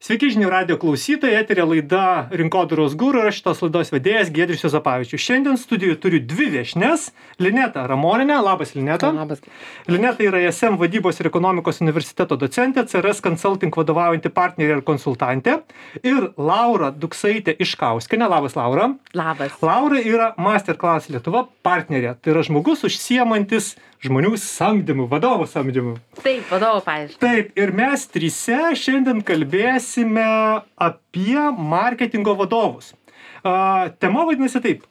Sveiki žinių radijo klausytojai, eteryje laida Rinkodaros guru ir aš šitos laidos vedėjas Giedrius Juozapavičius. Šiandien studijoje turiu dvi viešnias. Lineta Ramoninė, labas Lineta. Labas. Lineta yra ISM vadybos ir ekonomikos universiteto docentė, CRS Consulting vadovaujanti partnerė ir konsultantė. Ir Laura Duksaitė Iškauskienė, labas Laura. Labas. Laura yra Masterclass Lietuva partnerė, tai yra žmogus užsiemantis žmonių samdymu, vadovų samdymu. Taip, vadovų paaiškinimu. Taip, ir mes trise šiandien kalbėsime apie marketingo vadovus. Tema vadinasi taip.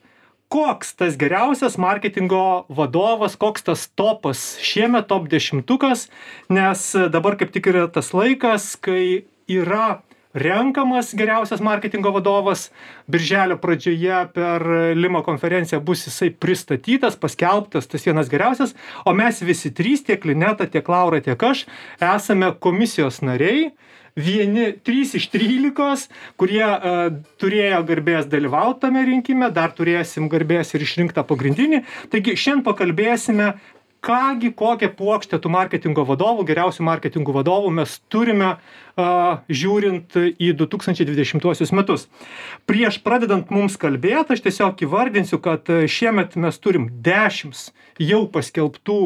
Koks tas geriausias marketingo vadovas, koks tas topas šiemet, top 10, nes dabar kaip tik yra tas laikas, kai yra renkamas geriausias marketingo vadovas. Birželio pradžioje per Lima konferenciją bus jisai pristatytas, paskelbtas, tas vienas geriausias, o mes visi trys, tiek Lineta, tiek Laura, tiek aš, esame komisijos nariai, vieni 3 iš 13, kurie turėjo garbės dalyvauti tame rinkime, dar turėsim garbės ir išrinktą pagrindinį. Taigi šiandien pakalbėsime, kokią puokštę tų marketingo vadovų, geriausių marketingo vadovų mes turime žiūrint į 2020 metus. Prieš pradedant mums kalbėti, aš tiesiog įvardinsiu, kad šiemet mes turim 10 jau paskelbtų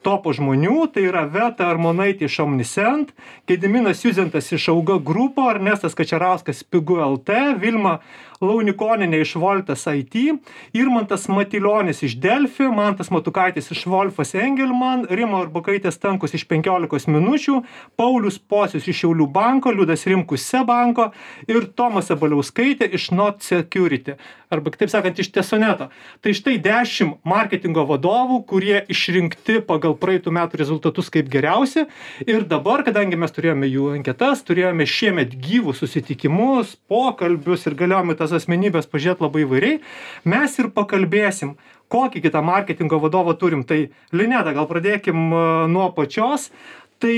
topo žmonių, tai yra Veta Armonaitė iš Omniscient, Gediminas Juzentas iš Auga Grupo, Ernestas Kačerauskas Pigu LT, Vilma Launikonienė iš Voltas IT, Irmantas Matilionis iš Delfi, Mantas Matukaitis iš Wolfas Engelman, Rima Arbukaitė Stankus iš 15 minučių, Paulius Pocius iš Šiaulių banko, Liudas Rimkus SEB banko ir Tomas Abaliauskaitė iš Not Security, arba kitaip sakant iš Tesoneto. Tai štai 10 marketingo vadovų, kurie išrinkti pagal praeitų metų rezultatus kaip geriausi. Ir dabar, kadangi mes turėjome jų anketas, turėjome šiemet gyvus susitikimus, pokalbius ir galėjome tas asmenybės pažiūrėti labai įvairiai, mes ir pakalbėsim, kokį kitą marketingo vadovą turim. Tai Lineta, gal pradėkim nuo pačios. Tai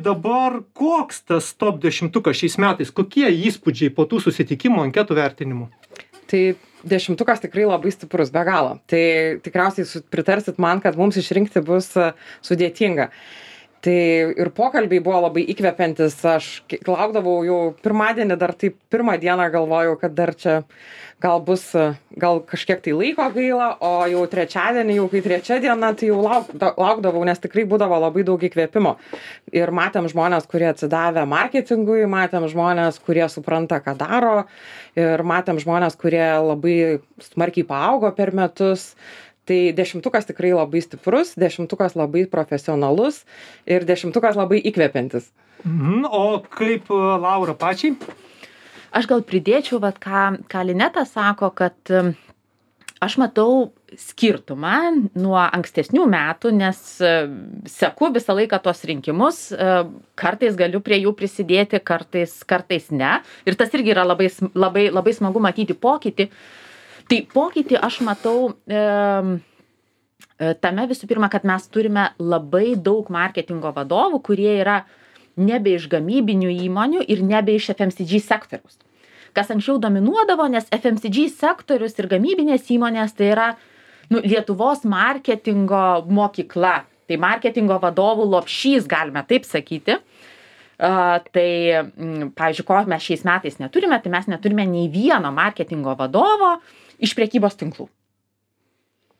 dabar koks tas top 10 šiais metais, kokie įspūdžiai po tų susitikimų anketų vertinimų? Tai 10 tikrai labai stiprus, be galo. Tai tikriausiai pritarsit man, kad mums išrinkti bus sudėtinga. Tai ir pokalbiai buvo labai įkvepiantis. Aš laukdavau jau pirmadienį, dar taip pirmą dieną galvojau, kad dar čia gal kažkiek tai laiko gaila, o jau trečiadienį, jau kai trečia diena, tai jau laukdavau, nes tikrai būdavo labai daug įkvėpimo. Ir matėm žmonės, kurie atsidavė marketingui, matėm žmonės, kurie supranta, ką daro, ir matėm žmonės, kurie labai smarkiai paaugo per metus. Tai 10 tikrai labai stiprus, 10 labai profesionalus ir 10 labai įkvepiantis. O kaip Laura pačiai? Aš gal pridėčiau, ką Lineta sako, kad aš matau skirtumą nuo ankstesnių metų, nes seku visą laiką tos rinkimus, kartais galiu prie jų prisidėti, kartais ne. Ir tas irgi yra labai smagu matyti pokytį. Tai pokytį aš matau tame visų pirma, kad mes turime labai daug marketingo vadovų, kurie yra nebe iš gamybinių įmonių ir nebe iš FMCG sektoriaus. Kas anksčiau dominuodavo, nes FMCG sektorius ir gamybinės įmonės tai yra Lietuvos marketingo mokykla. Tai marketingo vadovų lopšys, galime taip sakyti. Tai, pavyzdžiui, ko mes šiais metais neturime, tai mes neturime nei vieno marketingo vadovo iš prekybos tinklų.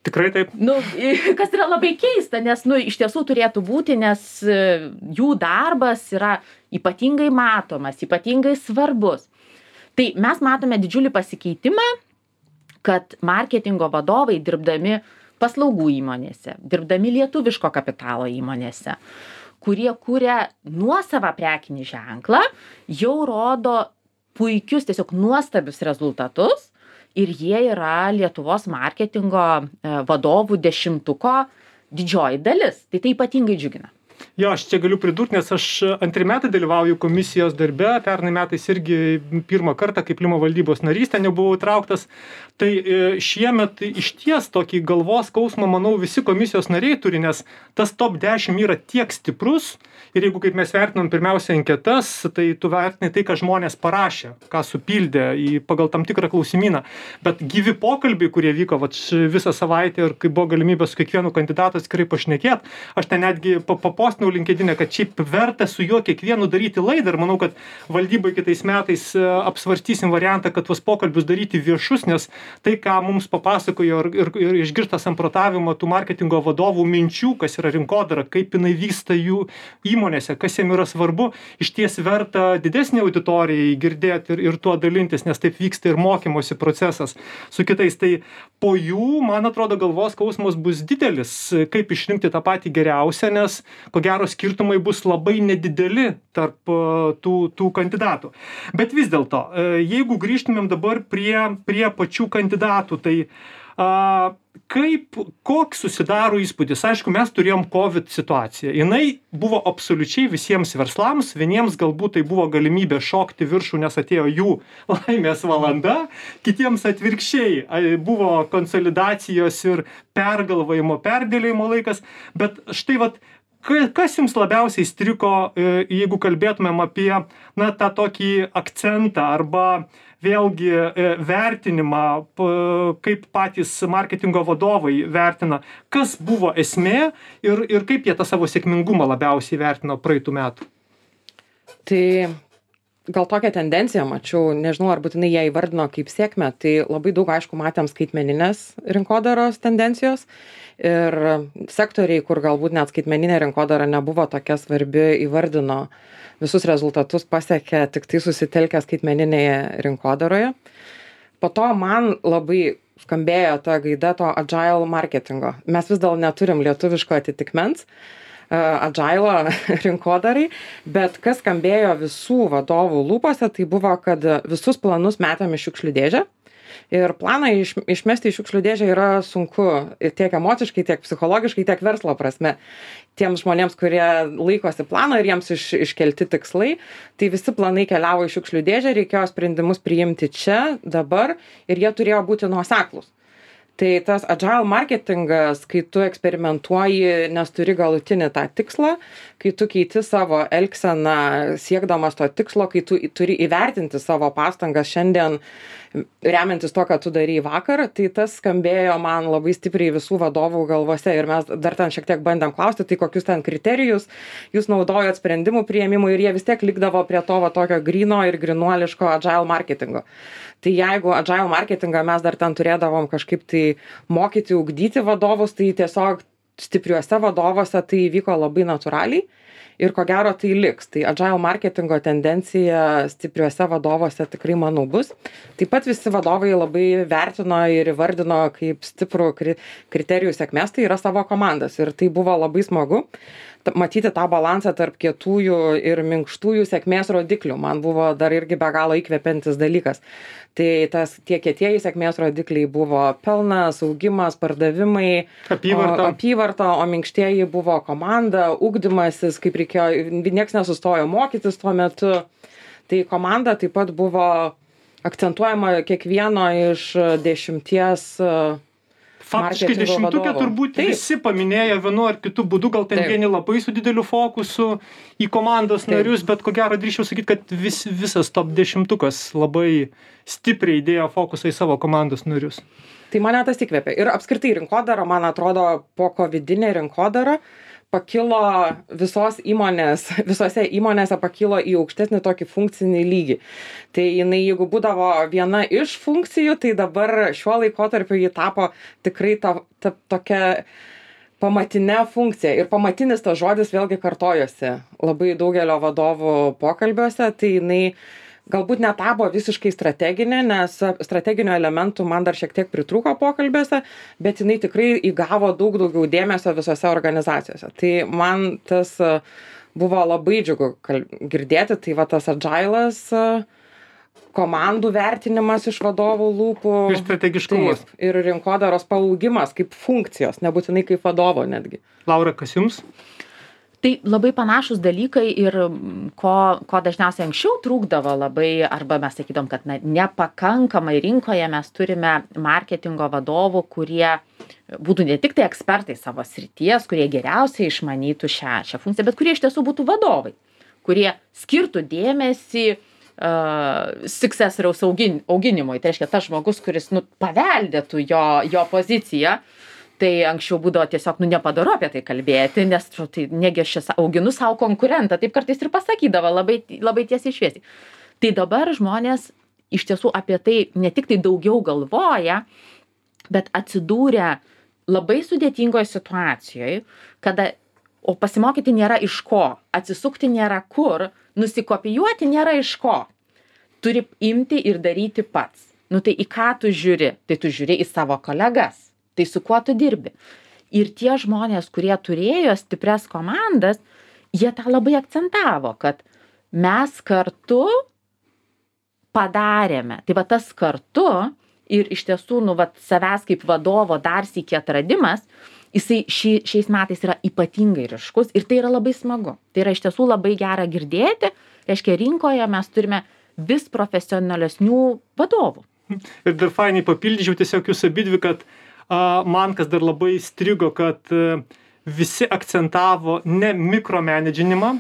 Tikrai taip. Kas yra labai keista, nes iš tiesų turėtų būti, nes jų darbas yra ypatingai matomas, ypatingai svarbus. Tai mes matome didžiulį pasikeitimą, kad marketingo vadovai dirbdami paslaugų įmonėse, dirbdami lietuviško kapitalo įmonėse, kurie kuria nuosavą prekinį ženklą, jau rodo puikius, tiesiog nuostabius rezultatus ir jie yra Lietuvos marketingo vadovų 10 didžioji dalis. Tai ypatingai džiugina. Jo, aš čia galiu pridurti, nes aš 2 metai dalyvauju komisijos darbe, pernai metais irgi pirmą kartą kaip Lima valdybos narys, ten jau buvau įtrauktas. Tai šiemet išties tokį galvos skausmą, manau, visi komisijos nariai turi, nes tas top 10 yra tiek stiprus ir jeigu kaip mes vertinam pirmiausia anketas, tai tu vertinai tai, ką žmonės parašė, ką supildė pagal tam tikrą klausimyną. Bet gyvi pokalbiai, kurie vyko visą savaitę ir kai buvo galimybė su kiekvienu kandidatu atskirai pašnekėt, aš ten netgi papostinau LinkedIn'e, kad šiaip verta su juo kiekvienu daryti laidą ir manau, kad valdybai kitais metais apsvarstysim variantą, kad tuos pokalbius daryti viešus, nes tai, ką mums papasakojo ir išgirsta samprotavimo tų marketingo vadovų minčių, kas yra rinkodara, kaip jinai vyksta jų įmonėse, kas jiem yra svarbu, iš ties verta didesnį auditorijai girdėti ir tuo dalintis, nes taip vyksta ir mokymosi procesas su kitais. Tai po jų, man atrodo, galvos skausmas bus didelis, kaip išrinkti tą patį geriausią, nes ko gero skirtumai bus labai nedideli tarp tų kandidatų. Bet vis dėlto, jeigu grįžtumėm dabar prie pačių kandidatų, tai koks susidaro įspūdis? Aišku, mes turėjom COVID situaciją. Jinai buvo absoliučiai visiems verslams. Vieniems galbūt tai buvo galimybė šokti viršų, nes atėjo jų laimės valanda. Kitiems atvirkščiai buvo konsolidacijos ir pergalvojimo, perdėlėjimo laikas. Bet štai kas jums labiausiai įstrigo, jeigu kalbėtumėm apie tą tokį akcentą arba vėlgi vertinimą, kaip patys marketingo vadovai vertina, kas buvo esmė ir kaip jie tą savo sėkmingumą labiausiai vertino praeitų metų? Tai gal tokią tendenciją mačiau, nežinau, ar būtinai ją įvardino kaip sėkmę, tai labai daug, aišku, matėm skaitmeninės rinkodaros tendencijos ir sektoriai, kur galbūt net skaitmeninė rinkodara nebuvo tokia svarbi, įvardino visus rezultatus pasiekė tik tai susitelkę skaitmeninėje rinkodaroje. Po to man labai skambėjo ta gaida to agile marketingo. Mes vis dar neturim lietuviško atitikmens agile rinkodarai, bet kas skambėjo visų vadovų lūpose, tai buvo, kad visus planus metam į šiukšlių dėžę. Ir planą išmesti į šiukšlių dėžę yra sunku tiek emociškai, tiek psichologiškai, tiek verslo prasme. Tiems žmonėms, kurie laikosi plano ir jiems iškelti tikslai, tai visi planai keliavo į šiukšlių dėžę, reikėjo sprendimus priimti čia, dabar ir jie turėjo būti nuoseklūs. Tai tas agile marketingas, kai tu eksperimentuoji, nes turi galutinį tą tikslą, kai tu keiti savo elgseną siekdamas to tikslo, kai tu turi įvertinti savo pastangas šiandien, remiantis to, ką tu darei vakar, tai tas skambėjo man labai stipriai visų vadovų galvose ir mes dar ten šiek tiek bandėm klausti, tai kokius ten kriterijus jūs naudojot sprendimų priėmimui ir jie vis tiek likdavo prie to tokio gryno ir grynuoliško agile marketingo. Tai jeigu agile marketingą mes dar ten turėdavom kažkaip tai mokyti, ugdyti vadovus, tai tiesiog stipriuose vadovuose tai vyko labai natūraliai ir ko gero tai liks. Tai agile marketingo tendencija stipriuose vadovuose tikrai manau bus. Taip pat visi vadovai labai vertino ir įvardino kaip stiprų kriterijų sėkmės, tai yra savo komandas ir tai buvo labai smagu. Matyti tą balansą tarp kietųjų ir minkštųjų sėkmės rodiklių man buvo dar irgi be galo įkvepiantis dalykas. Tai tie kietieji sėkmės rodikliai buvo pelnas, augimas, pardavimai, apyvarta, o minkštieji buvo komanda, ugdymasis, kaip reikėjo, nieks nesustojo mokytis tuo metu. Tai komanda taip pat buvo akcentuojama kiekvieno iš 10 Faktiškai 10-tuke turbūt visi paminėjo vienu ar kitu būdu, gal ten vieni labai su dideliu fokusu į komandos narius, bet ko gero drįsčiau sakyti, kad visas top 10-tukas labai stipriai įdėjo fokusą į savo komandos narius. Tai mane tas įkvėpė. Ir apskritai rinkodara, man atrodo, po covidinė rinkodara pakilo visose įmonėse pakilo į aukštesnį tokį funkcinį lygį. Tai jinai, jeigu būdavo viena iš funkcijų, tai dabar šiuo laikotarpiu ji tapo tikrai tokia pamatinė funkcija. Ir pamatinis tas žodis vėlgi kartojosi labai daugelio vadovų pokalbiuose, tai jinai galbūt netapo visiškai strateginė, nes strateginių elementų man dar šiek tiek pritrūko pokalbiuose, bet jinai tikrai įgavo daug daugiau dėmesio visose organizacijose. Tai man tas buvo labai džiugu girdėti, tai tas agile'as, komandų vertinimas iš vadovų lūpų. Ir strategiškumas. Taip, ir rinkodaros paaugimas kaip funkcijos, nebūtinai kaip vadovo netgi. Laura, kas jums? Tai labai panašus dalykai ir ko dažniausiai anksčiau trūkdavo labai, arba mes sakydom, kad nepakankamai rinkoje mes turime marketingo vadovų, kurie būtų ne tik tai ekspertai savo srities, kurie geriausiai išmanytų šią funkciją, bet kurie iš tiesų būtų vadovai, kurie skirtų dėmesį successoriaus auginimui. Tai reiškia, tas žmogus, kuris paveldėtų jo poziciją. Tai anksčiau būdavo tiesiog, nepadoru apie tai kalbėti, nes tai negi aš čia auginu savo konkurentą, taip kartais ir pasakydavo labai, labai tiesiai šviesiai. Tai dabar žmonės iš tiesų apie tai ne tik tai daugiau galvoja, bet atsidūrę labai sudėtingoje situacijoje, kada, o pasimokyti nėra iš ko, atsisukti nėra kur, nusikopijuoti nėra iš ko. Turi imti ir daryti pats. Tai į ką tu žiūri? Tai tu žiūri į savo kolegas. Tai su kuo tu dirbi. Ir tie žmonės, kurie turėjo stiprias komandas, jie tą labai akcentavo, kad mes kartu padarėme. Tai va tas kartu ir iš tiesų, savęs kaip vadovo dar sykį atradimas, jisai šiais metais yra ypatingai ryškus ir tai yra labai smagu. Tai yra iš tiesų labai gera girdėti, reiškia rinkoje mes turime vis profesionalesnių vadovų. Ir dar fainai papildyčiau tiesiog jūs abidvi, kad man kas dar labai strigo, kad visi akcentavo ne mikromenedžinimą,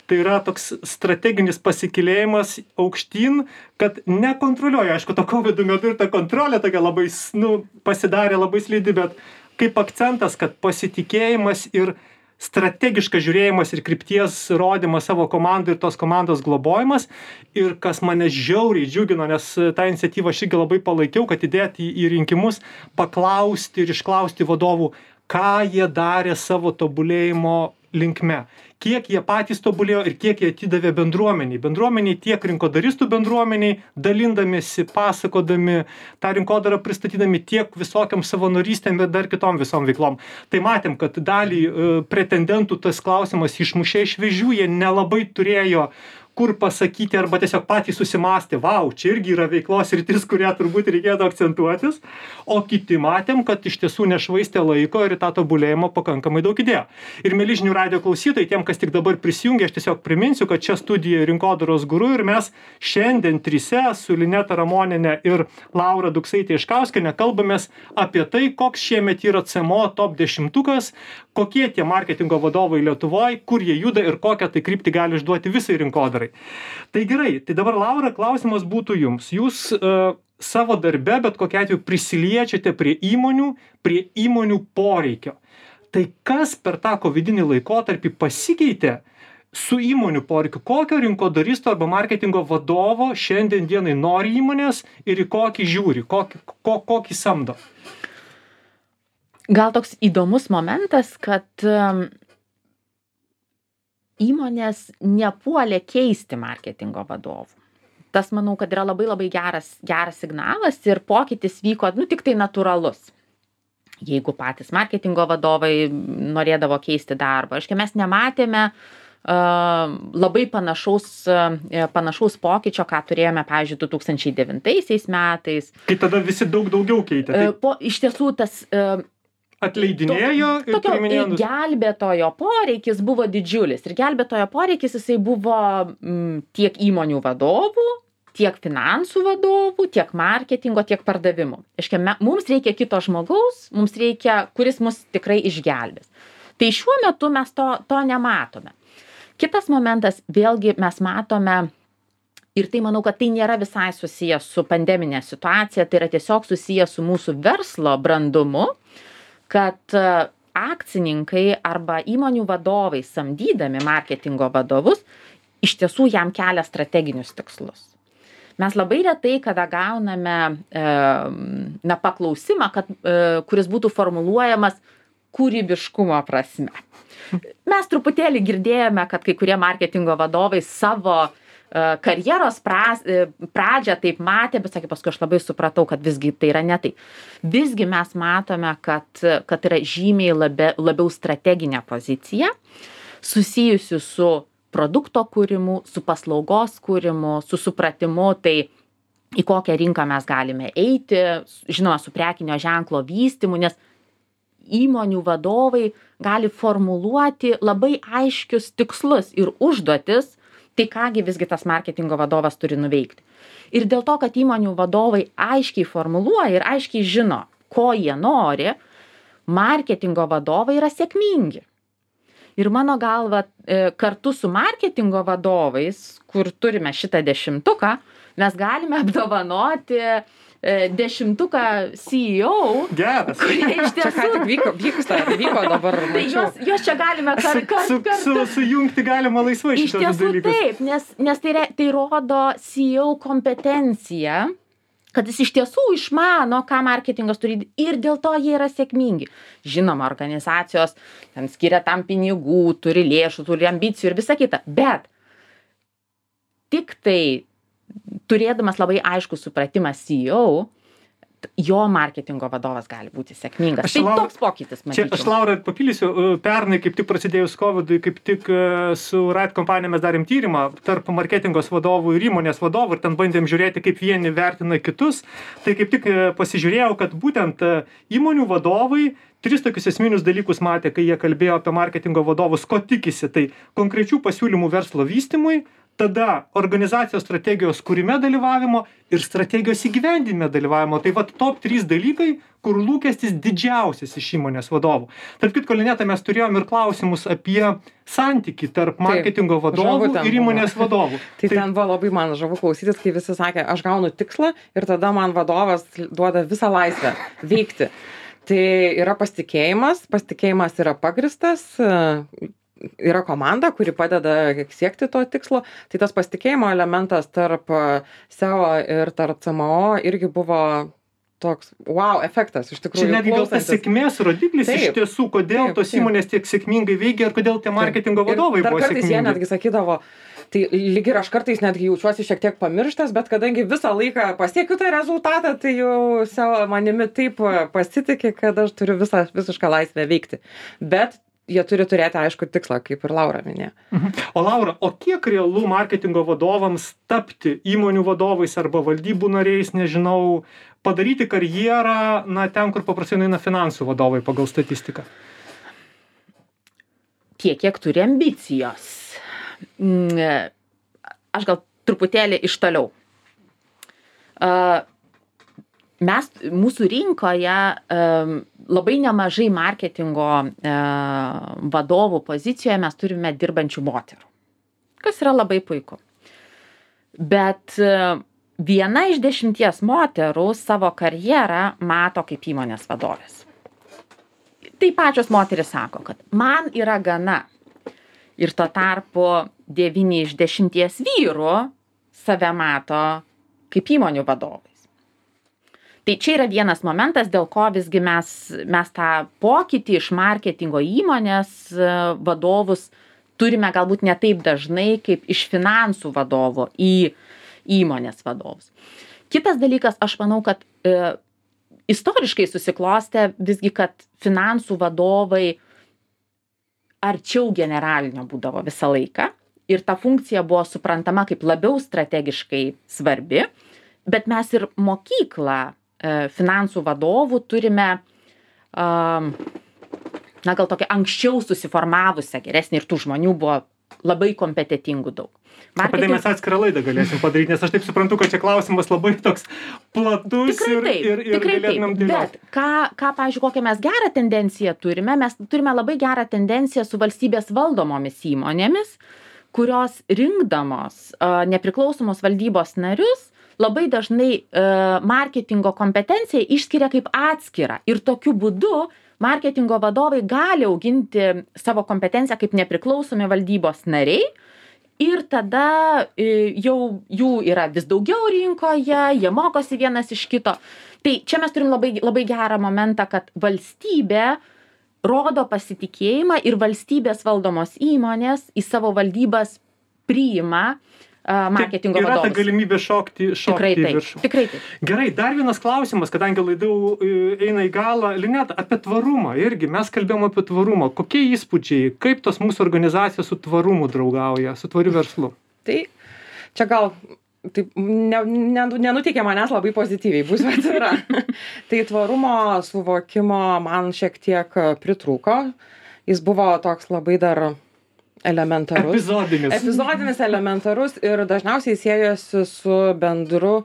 tai yra toks strateginis pasikėlėjimas aukštyn, kad nekontroliuoja. Aišku, to COVID metu ir ta kontrolė tokia labai, pasidarė labai slidi, bet kaip akcentas, kad pasitikėjimas ir strategiškas žiūrėjimas ir krypties rodymas savo komandai ir tos komandos globojimas. Ir kas mane žiauriai džiugino, nes tą iniciatyvą aš irgi labai palaikiau, kad įdėti į rinkimus, paklausti ir išklausti vadovų, ką jie darė savo tobulėjimo linkme. Kiek jie patys tobulėjo ir kiek jie atidavė bendruomeniai. Bendruomeniai tiek rinkodaristų bendruomeniai, dalindamiesi, pasakodami, tą rinkodarą pristatydami tiek visokiam savanorystėm, bet dar kitom visom veiklom. Tai matėm, kad dalį pretendentų tas klausimas išmušė iš vėžių, jie nelabai turėjo kur pasakyti arba tiesiog patys susimąstė, vau, čia irgi yra veiklos sritis, kurią turbūt reikėtų akcentuotis, o kiti matėm, kad iš tiesų nešvaistė laiko ir į tą tobulėjimą pakankamai daug įdėjo. Ir mieli žinių radijo klausytojai, tiem, kas tik dabar prisijungia, aš tiesiog priminsiu, kad čia studija Rinkodaros guru ir mes šiandien trise su Lineta Ramonienė ir Laura Duksaitė-Iškauskienė kalbamės apie tai, koks šiemet yra CMO top 10, kokie tie marketingo vadovai Lietuvoje, kur jie juda ir kokią tai kryptį gali išduoti visai rinkodarai. Tai gerai, tai dabar Laura, klausimas būtų jums. Jūs savo darbe, bet kokiu atveju prisiliečiate prie įmonių poreikio. Tai kas per tą covidinį laikotarpį pasikeitė su įmonių poreikiu? Kokio rinkodaristo arba marketingo vadovo šiandien dienai nori įmonės ir į kokį žiūri, kokį samdo? Gal toks įdomus momentas, kad įmonės nepuolė keisti marketingo vadovų. Tas, manau, kad yra labai labai geras signalas ir pokytis vyko, tik tai natūralus. Jeigu patys marketingo vadovai norėdavo keisti darbą. Aiškiai, mes nematėme labai panašaus pokyčio, ką turėjome, pavyzdžiui, 2009 metais. Kai tada visi daugiau keitė. Iš tiesų, tas atleidinėjo ir priiminėjo. Gelbėtojo poreikis buvo didžiulis. Ir gelbėtojo poreikis jisai buvo tiek įmonių vadovų, tiek finansų vadovų, tiek marketingo, tiek pardavimų. Aiškiai, mums reikia kito žmogaus, kuris mus tikrai išgelbės. Tai šiuo metu mes to nematome. Kitas momentas, vėlgi mes matome, ir tai manau, kad tai nėra visai susijęs su pandeminė situacija, tai yra tiesiog susijęs su mūsų verslo brandumu, kad akcininkai arba įmonių vadovai samdydami marketingo vadovus iš tiesų jam kelia strateginius tikslus. Mes labai retai, kada gauname paklausimą, kuris būtų formuluojamas kūrybiškumo prasme. Mes truputėlį girdėjome, kad kai kurie marketingo vadovai savo karjeros pradžią taip matė, bet sakė, paskui aš labai supratau, kad visgi tai yra ne tai. Visgi mes matome, kad yra žymiai labiau strateginė pozicija, susijusi su produkto kūrimu, su paslaugos kūrimu, su supratimu, tai į kokią rinką mes galime eiti, žinoma, su prekinio ženklo vystymu, nes įmonių vadovai gali formuluoti labai aiškius tikslus ir užduotis, tai kągi visgi tas marketingo vadovas turi nuveikti. Ir dėl to, kad įmonių vadovai aiškiai formuluoja ir aiškiai žino, ko jie nori, marketingo vadovai yra sėkmingi. Ir mano galva, kartu su marketingo vadovais, kur turime šitą 10, mes galime apdovanoti 10 CEO, Geras. kurie iš Čia ką tiesų... tik vyko dabar. Tai jos čia galime Sujungti galima laisvai Iš šitos tiesų dalykus. taip, nes tai rodo CEO kompetenciją, kad jis iš tiesų išmano, ką marketingas turi ir dėl to jie yra sėkmingi. Žinoma, organizacijos ten skiria tam pinigų, turi lėšų, turi ambicijų ir visa kita, bet tik tai turėdamas labai aišku supratimą CEO, jo marketingo vadovas gali būti sėkmingas. Tai toks pokytis, Čia matyčiau. aš Laura papildysiu, pernai kaip tik prasidėjus COVID-ui, kaip tik su Right kompanija mes darėm tyrimą tarp marketingos vadovų ir įmonės vadovų ir ten bandėm žiūrėti, kaip vieni vertina kitus. Tai kaip tik pasižiūrėjau, kad būtent įmonių vadovai 3 tokius esminius dalykus matė, kai jie kalbėjo apie marketingo vadovus, ko tikisi. Tai konkrečių pasiūlymų verslo vystymui, tada organizacijos strategijos kūrime dalyvavimo ir strategijos įgyvendinime dalyvavimo. Tai vat top 3 dalykai, kur lūkestis didžiausias iš įmonės vadovų. Tarp kitko, Lineta, mes turėjom ir klausimus apie santykį tarp marketingo vadovų ir įmonės vadovų. Tai ten buvo labai man žavu klausytis, kai visi sakė, aš gaunu tikslą ir tada man vadovas duoda visą laisvę veikti. Tai yra pasitikėjimas yra pagristas, yra komanda, kuri padeda siekti to tikslo, tai tas pasitikėjimo elementas tarp SEO ir tarp CMO irgi buvo toks wow efektas, iš tikrųjų. Čia netgi gal tas sėkmės rodiklis iš tiesų, kodėl tos įmonės tiek sėkmingai veikia ir kodėl tie marketingo vadovai buvo sėkmingi. Kartais jie netgi sakydavo, tai lyg ir aš kartais netgi jaučiuosi šiek tiek pamirštas, bet kadangi visą laiką pasiekiu tą rezultatą, tai jau savo manimi taip pasitikė, kad aš turiu visišką laisvę veikti. Bet jie turi turėti aišku tikslą, kaip ir Laura minėjo. O Laura, o kiek realu marketingo vadovams tapti įmonių vadovais arba valdybų nariais, nežinau, padaryti karjerą, na, ten, kur paprastai eina finansų vadovai pagal statistiką? Tiek, kiek turi ambicijos. Aš gal truputėlį iš toliau. Mūsų rinkoje labai nemažai marketingo vadovų pozicijoje mes turime dirbančių moterų, kas yra labai puiku. Bet 1 iš 10 moterų savo karjerą mato kaip įmonės vadovės. Tai pačios moterys sako, kad man yra gana. Ir tuo tarpu 9 iš 10 vyrų save mato kaip įmonių vadovais. Tai čia yra vienas momentas, dėl ko visgi mes tą pokytį iš marketingo įmonės vadovus turime galbūt ne taip dažnai, kaip iš finansų vadovo į įmonės vadovus. Kitas dalykas, aš manau, kad istoriškai susiklostė visgi, kad finansų vadovai arčiau generalinio būdavo visą laiką ir ta funkcija buvo suprantama kaip labiau strategiškai svarbi, bet mes ir mokyklą finansų vadovų turime, na gal tokia anksčiau susiformavusią geresnį ir tų žmonių buvo labai kompetentingų daug. Apie tai mes atskirą laidą galėsim padaryti, nes aš taip suprantu, kad čia klausimas labai toks platus ir galėtumėm dėlioti. Bet ką, pavyzdžiui, kokią mes gerą tendenciją turime, mes turime labai gerą tendenciją su valstybės valdomomis įmonėmis, kurios rinkdamos nepriklausomos valdybos narius labai dažnai marketingo kompetenciją išskiria kaip atskirą ir tokiu būdu marketingo vadovai gali auginti savo kompetenciją kaip nepriklausomi valdybos nariai ir tada jau jų yra vis daugiau rinkoje, jie mokosi vienas iš kito. Tai čia mes turim labai, labai gerą momentą, kad valstybė rodo pasitikėjimą ir valstybės valdomos įmonės į savo valdybas priima marketingo vadovus. Yra ta galimybė šokti į viršų. Tikrai taip. Gerai, dar vienas klausimas, kadangi laidau eina į galą. Lineta, apie tvarumą irgi. Mes kalbėjom apie tvarumą. Kokie įspūdžiai, kaip tos mūsų organizacijos su tvarumu draugauja, su tvariu verslu? Tai čia gal taip nenuteikė manęs labai pozityviai, būsiu atvira. Tai tvarumo suvokimo man šiek tiek pritrūko. Jis buvo toks labai dar elementarus. Epizodinis elementarus ir dažniausiai siejosi su bendru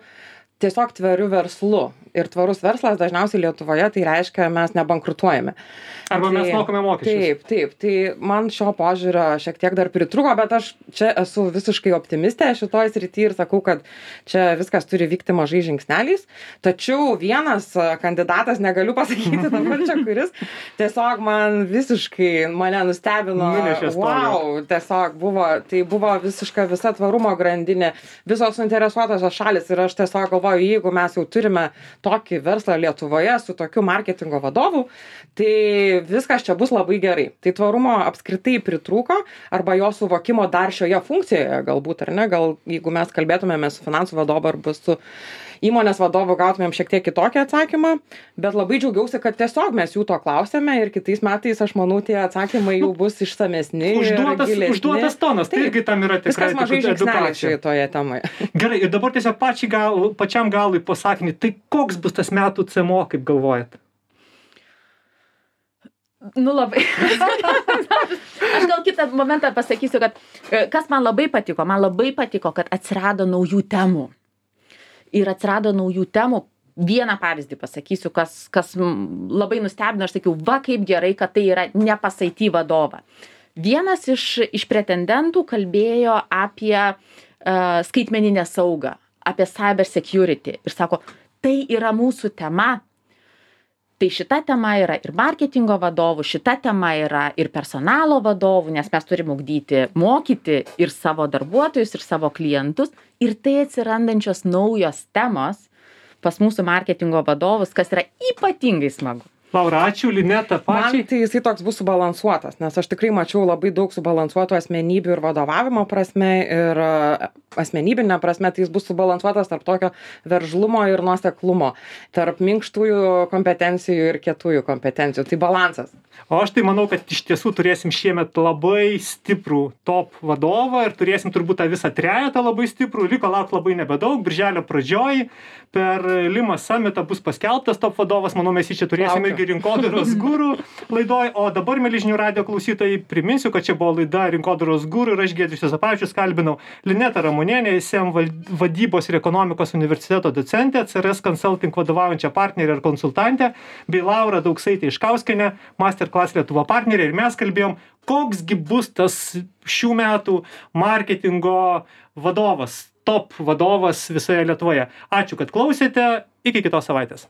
tiesiog tvariu verslu. Ir tvarus verslas dažniausiai Lietuvoje tai reiškia, mes nebankrutuojame. Arba mes mokame mokesčius. Taip. Tai man šio požiūrio šiek tiek dar pritruko, bet aš čia esu visiškai optimistė šitoj srity ir sakau, kad čia viskas turi vykti mažai žingsneliais. Tačiau vienas kandidatas, negaliu pasakyti dabar čia kuris, tiesiog mane nustebino. Wow, tiesiog buvo visiška visa tvarumo grandinė, visos suinteresuotosios šalis ir aš tiesiog galvoju, jeigu mes jau turime tokį verslą Lietuvoje su tokiu marketingo vadovu, tai viskas čia bus labai gerai. Tai tvarumo apskritai pritrūko arba jo suvokimo dar šioje funkcijoje galbūt, ar ne, gal jeigu mes kalbėtumėme su finansų vadovu arba su įmonės vadovu gautumėm šiek tiek kitokį atsakymą, bet labai džiaugiausi, kad tiesiog mes jų to klausėme ir kitais metais, aš manau, tie atsakymai jau bus išsamesni. Užduotas tonas, tai irgi tam yra tikrai edukacija toje temoje. Gerai, ir dabar tiesiog pačiam galui pasakinį, tai koks bus tas metų CMO, kaip galvojat? Labai. Aš gal kitą momentą pasakysiu, kad kas man labai patiko, kad atsirado naujų temų. Ir atsirado naujų temų. Vieną pavyzdį pasakysiu, kas labai nustebino, aš sakiau, va kaip gerai, kad tai yra ne pas IT vadovą. Vienas iš pretendentų kalbėjo apie skaitmeninę saugą, apie cyber security ir sako, tai yra mūsų tema. Tai šita tema yra ir marketingo vadovų, šita tema yra ir personalo vadovų, nes mes turim mokyti ir savo darbuotojus, ir savo klientus. Ir tai atsirandančios naujos temos pas mūsų marketingo vadovus, kas yra ypatingai smagu. Laura, ačiū, Lineta, pačiai. Man tai jisai toks bus subalansuotas, nes aš tikrai mačiau labai daug subalansuotų asmenybių ir vadovavimo prasme ir asmenybinė prasme, tai jis bus subalansuotas tarp tokio veržlumo ir nuoseklumo, tarp minkštųjų kompetencijų ir kietųjų kompetencijų. Tai balansas. O aš tai manau, kad iš tiesų turėsim šiemet labai stiprų top vadovą ir turėsim turbūt tą visą trejetą labai stiprų. Liko laukti labai nebedaug. Birželio pradžioj per Lima Summitą bus paskelbtas top vadovas. Manau, mes jį čia turėsim irgi Rinkodaros guru laidoj. O dabar, mieli žinių radijo klausytojai, priminsiu, kad čia buvo laida Rinkodaros guru ir aš Giedrius Juozapavičius kalbinau Linetą Ramonienę, ISM vadybos ir ekonomikos universiteto docentę, CRS Consulting vadovaujančią partnerę ir konsultantę, bei Laura Dauksaitė Iškauskienė, Masterclass Lietuva partnerė. Ir mes kalbėjom, koksgi bus tas šių metų marketingo vadovas, top vadovas visoje Lietuvoje. Ačiū, kad klausėte. Iki kitos savaitės.